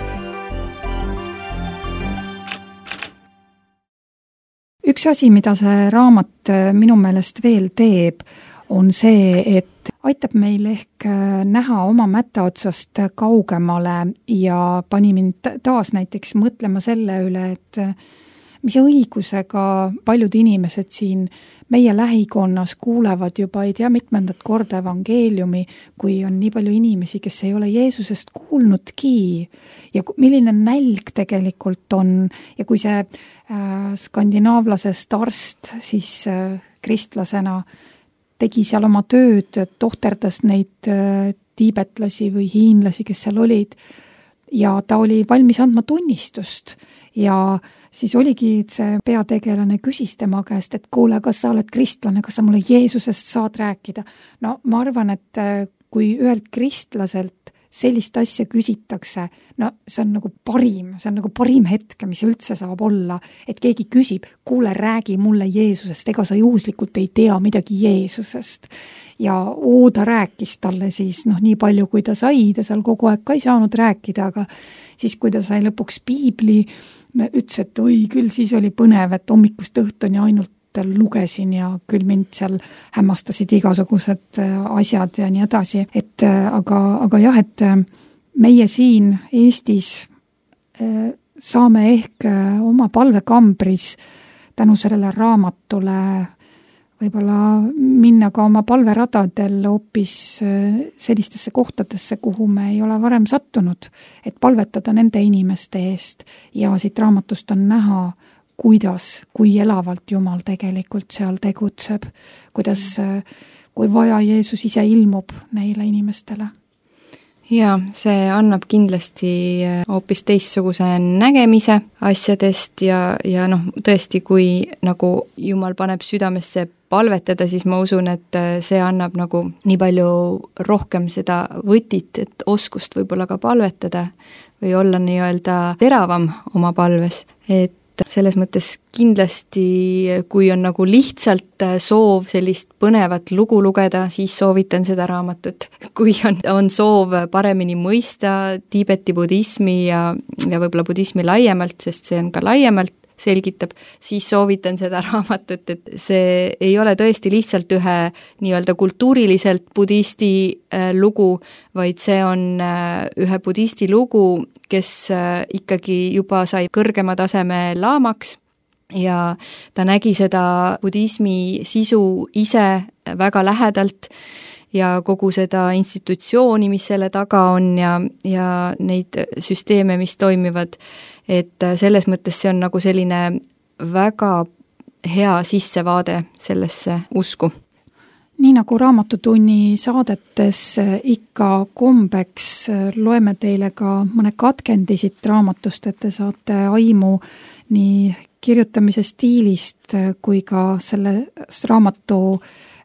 Üks asi, mida see raamat minu meelest veel teeb, on see, et aitab meil ehk näha oma mätta otsast kaugemale ja pani mind taas näiteks mõtlema selle üle, et mis õigusega paljud inimesed siin meie lähikonnas kuulevad juba ei tea mitmendat korda evangeeliumi, kui on nii palju inimesi, kes ei ole Jeesusest kuulnudki ja milline nälg tegelikult on ja kui see skandinaavlasest arst siis kristlasena tegi seal oma tööd, tohterdas neid tiibetlasi või hiinlasi, kes seal olid, ja ta oli valmis andma tunnistust ja siis oligi, et see peategelane küsis tema käest, et kuule, kas sa oled kristlane, kas sa mulle Jeesusest saad rääkida? No ma arvan, et kui ühelt kristlaselt sellist asja küsitakse, no see on nagu parim hetk, mis üldse saab olla, et keegi küsib, kuule, räägi mulle Jeesusest, ega sa juhuslikult ei tea midagi Jeesusest. Ja ta rääkis talle siis nii palju, kui ta sai, ta seal kogu aeg ka ei saanud rääkida, aga siis, kui ta sai lõpuks piibli, ütles, et oi, küll siis oli põnev, et hommikust õhtuni ainult lugesin ja küll mind seal hämmastasid igasugused asjad ja nii edasi. Aga jah, et meie siin Eestis saame ehk oma palvekambris tänu sellele raamatule võib-olla minna ka oma palveradadel hoopis sellistesse kohtadesse, kuhu me ei ole varem sattunud, et palvetada nende inimeste eest ja siit raamatust on näha, kui elavalt Jumal tegelikult seal tegutseb, kui vaja Jeesus ise ilmub neile inimestele. Ja see annab kindlasti hoopis teistsuguse nägemise asjadest ja tõesti, kui nagu Jumal paneb südamesse palvetada, siis ma usun, et see annab nagu nii palju rohkem seda võtit, et oskust võib-olla ka palvetada või olla nii-öelda teravam oma palves, et selles mõttes kindlasti, kui on nagu lihtsalt soov sellist põnevat lugu lugeda, siis soovitan seda raamatut. Kui on soov paremini mõista Tiibeti budismi ja võib-olla budismi laiemalt, sest see on ka laiemalt selgitab, siis soovitan seda raamatut, et see ei ole tõesti lihtsalt ühe nii-öelda kultuuriliselt budisti lugu, vaid see on ühe budisti lugu, kes ikkagi juba sai kõrgema taseme laamaks ja ta nägi seda budismi sisu ise väga lähedalt ja kogu seda institutsiooni, mis selle taga on ja neid süsteeme, mis toimivad, et selles mõttes see on nagu selline väga hea sissevaade sellesse usku. Nii nagu Raamatutunni saadetes ikka kombeks, loeme teile ka mõne katkendi siit raamatust, et te saate aimu nii kirjutamise stiilist kui ka sellest raamatu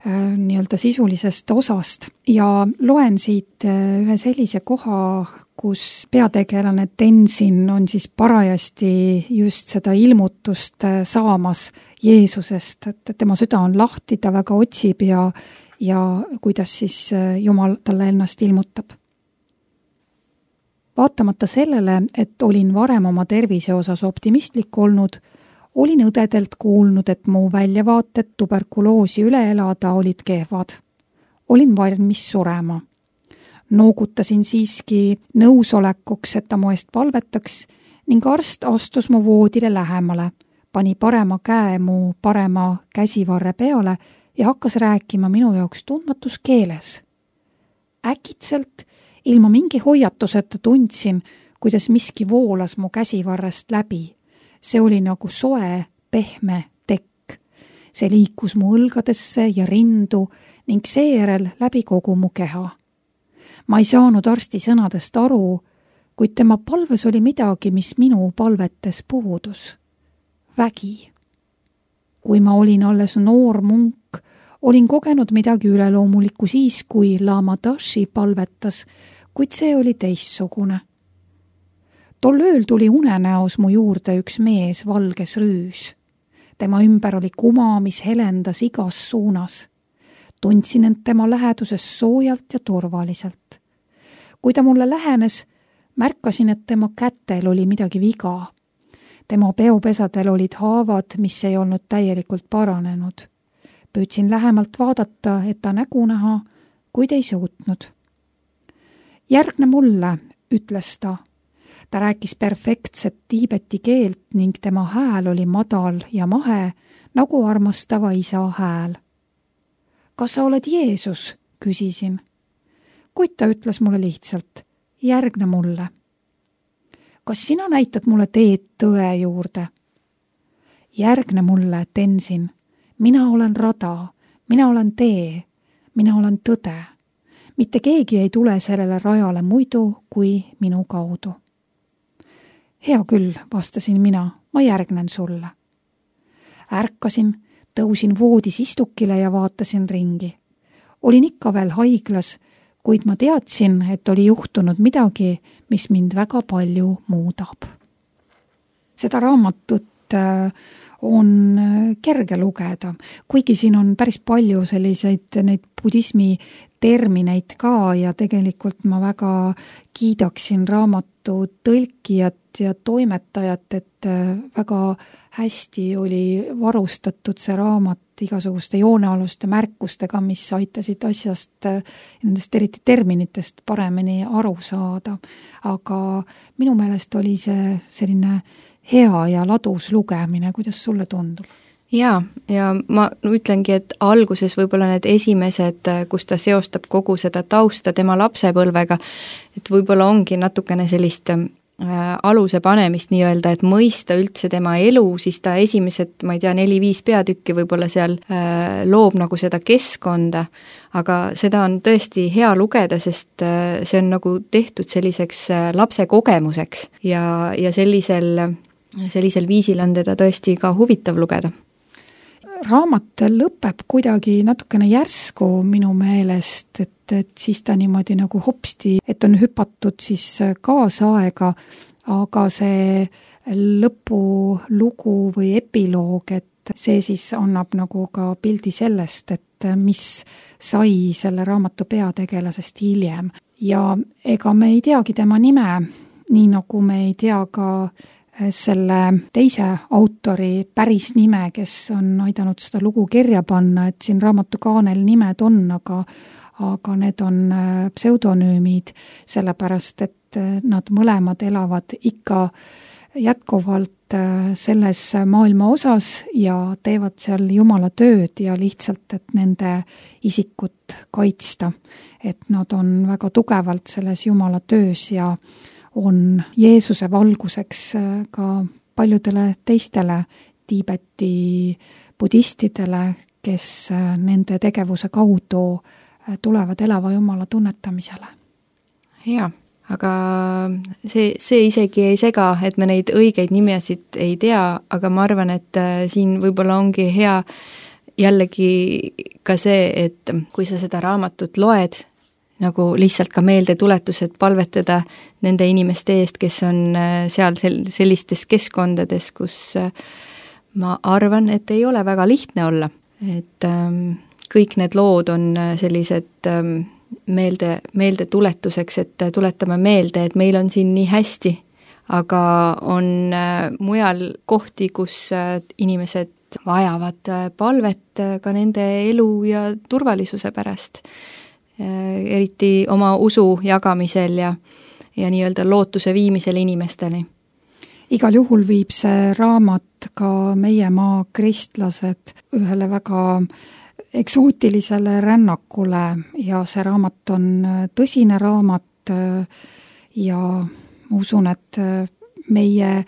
nii-öelda sisulisest osast ja loen siit ühe sellise koha, kus peategelane Tenzin on siis parajasti just seda ilmutust saamas Jeesusest, et tema süda on lahti, ta väga otsib ja kuidas siis Jumal talle ennast ilmutab. Vaatamata sellele, et olin varem oma tervise osas optimistlik olnud, olin õdedelt kuulnud, et mu väljavaated tuberkuloosi üle elada olid kehvad. Olin valmis surema. Noogutasin siiski nõusolekuks, et ta mu eest palvetaks ning arst astus mu voodile lähemale, pani parema käe mu parema käsivarre peale ja hakkas rääkima minu jaoks tundmatus keeles. Äkitselt, ilma mingi hoiatuseta tundsin, kuidas miski voolas mu käsivarrest läbi. See oli nagu soe, pehme tekk. See liikus mu õlgadesse ja rindu ning seejärel läbi kogu mu keha. Ma ei saanud arsti sõnadest aru, kuid tema palves oli midagi, mis minu palvetes puudus. Vägi. Kui ma olin alles noor munk, olin kogenud midagi üleloomulikku siis, kui Lama Dashi palvetas, kuid see oli teistsugune. Tol ööl tuli unenäos mu juurde üks mees valges rüüs. Tema ümber oli kuma, mis helendas igas suunas. Tundsin end tema läheduses soojalt ja turvaliselt. Kui ta mulle lähenes, märkasin, et tema kätel oli midagi viga. Tema peopesadel olid haavad, mis ei olnud täielikult paranenud. Püüdsin lähemalt vaadata, et ta nägu näha, kuid ei suutnud. Järgne mulle, ütles ta. Ta rääkis perfektset tiibeti keelt ning tema hääl oli madal ja mahe, nagu armastava isa hääl. Kas sa oled Jeesus? Küsisin. Kuid ta ütles mulle lihtsalt, järgne mulle. Kas sina näitad mulle teed tõe juurde? Järgne mulle, Tenzin. Mina olen rada, mina olen tee, mina olen tõde. Mitte keegi ei tule sellele rajale muidu kui minu kaudu. Hea küll, vastasin mina, ma järgnen sulle. Ärkasin, tõusin voodis istukile ja vaatasin ringi. Olin ikka veel haiglas, kuid ma teadsin, et oli juhtunud midagi, mis mind väga palju muudab. Seda raamatut on kerge lugeda, kuigi siin on päris palju selliseid neid budismi termineid ka ja tegelikult ma väga kiidaksin raamatu tõlkijat ja toimetajat, et väga hästi oli varustatud see raamat igasuguste joonealuste märkustega, mis aitasid asjast, nendest eriti terminitest paremini aru saada. Aga minu meelest oli see selline hea ja ladus lugemine, kuidas sulle tundub? Ja ma ütlengi, et alguses võib-olla need esimesed, kus ta seostab kogu seda tausta tema lapsepõlvega, et võib-olla ongi natukene sellist aluse panemist nii-öelda, et mõista üldse tema elu, siis ta esimesed, ma ei tea, 4-5 peatükki võib-olla seal loob nagu seda keskkonda, aga seda on tõesti hea lugeda, sest see on nagu tehtud selliseks lapse kogemuseks ja sellisel viisil on teda tõesti ka huvitav lugeda. Raamat lõpeb kuidagi natukene järsku minu meelest, et siis ta niimoodi nagu hopsti, et on hüpatud siis kaasaega, aga see lõpulugu või epiloog, et see siis annab nagu ka pildi sellest, et mis sai selle raamatu peategelasest hiljem. Ja ega me ei teagi tema nime, nii nagu me ei tea ka selle teise autori päris nime, kes on aidanud seda lugu kirja panna, et siin raamatu kaanel nimed on, aga need on pseudonüümid, sellepärast et nad mõlemad elavad ikka jätkuvalt selles maailma osas ja teevad seal Jumala tööd ja lihtsalt, et nende isikut kaitsta. Et nad on väga tugevalt selles Jumala töös ja on Jeesuse valguseks ka paljudele teistele Tiibeti budistidele, kes nende tegevuse kaudu tulevad elava Jumala tunnetamisele. Jaa, aga see isegi ei sega, et me neid õigeid nimesid ei tea, aga ma arvan, et siin võib-olla ongi hea jällegi ka see, et kui sa seda raamatut loed, nagu lihtsalt ka meeldetuletused palvetada nende inimeste eest, kes on seal sellistes keskkondades, kus ma arvan, et ei ole väga lihtne olla. Et kõik need lood on sellised meeldetuletuseks, et tuletame meelde, et meil on siin nii hästi, aga on mujal kohti, kus inimesed vajavad palvet ka nende elu ja turvalisuse pärast. Eriti oma usu jagamisel ja nii-öelda lootuse viimisel inimesteni. Igal juhul viib see raamat ka meie maa kristlased ühele väga eksootilisele rännakule ja see raamat on tõsine raamat ja ma usun, et meie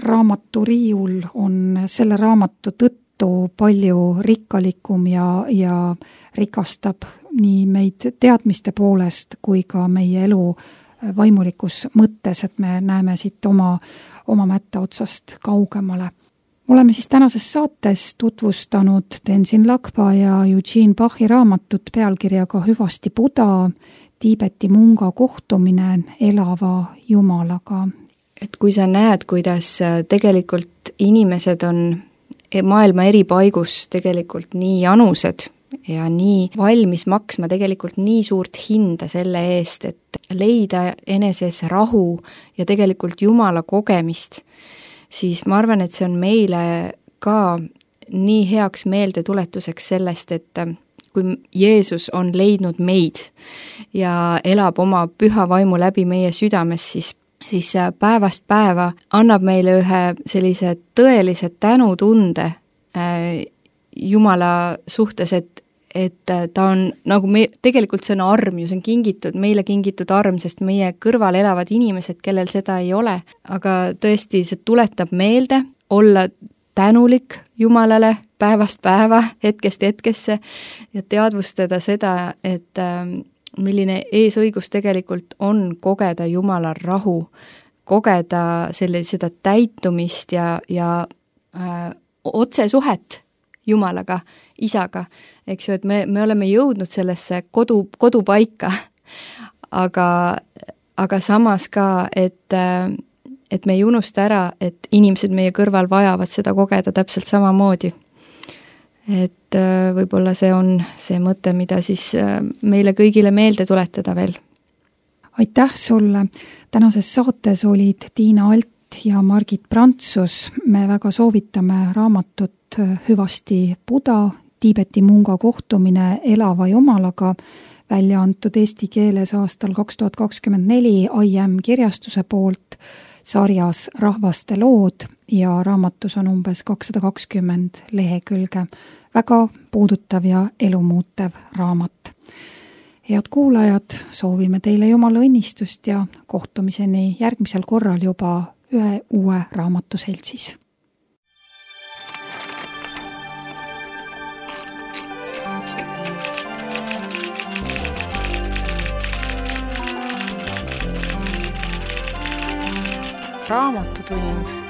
raamaturiiul on selle raamatu tõttu palju rikkalikum ja rikastab nii meid teadmiste poolest kui ka meie elu vaimulikus mõttes, et me näeme siit oma mätta otsast kaugemale. Oleme siis tänases saates tutvustanud Tenzin Lakpa ja Eugene Bachi raamatut pealkirjaga Hüvasti Buda, Tiibeti munga kohtumine elava Jumalaga. Et kui sa näed, kuidas tegelikult inimesed on maailma eri paigus tegelikult nii janused ja nii valmis maksma tegelikult nii suurt hinda selle eest, et leida eneses rahu ja tegelikult Jumala kogemist, siis ma arvan, et see on meile ka nii heaks meeldetuletuseks sellest, et kui Jeesus on leidnud meid ja elab oma püha vaimu läbi meie südames, siis päevast päeva annab meile ühe sellise tõelise tänutunde Jumala suhtes, et ta on nagu tegelikult see on arm ju, see on meile kingitud arm, sest meie kõrval elavad inimesed, kellel seda ei ole, aga tõesti see tuletab meelde olla tänulik Jumalale päevast päeva, hetkest hetkesse ja teadvustada seda, et milline eesõigus tegelikult on kogeda Jumala rahu, kogeda seda täitumist ja otsesuhet Jumalaga, Isaga, eks ju, et me oleme jõudnud sellesse kodupaika, aga samas ka, et me ei unusta ära, et inimesed meie kõrval vajavad seda kogeda täpselt samamoodi. Et võib-olla see on see mõte, mida siis meile kõigile meelde tuletada veel. Aitäh sulle! Tänases saates olid Tiina Alt ja Margit Prantsus. Me väga soovitame raamatut Hüvasti Buda, Tiibeti munga kohtumine elava Jumalaga, välja antud eesti keeles aastal 2024 IM kirjastuse poolt sarjas Rahvaste lood ja raamatus on umbes 220 lehekülge. Väga puudutav ja elumuutev raamat. Head kuulajad, soovime teile Jumala õnnistust ja kohtumiseni järgmisel korral juba ühe uue raamatu seltsis. Raamatutund.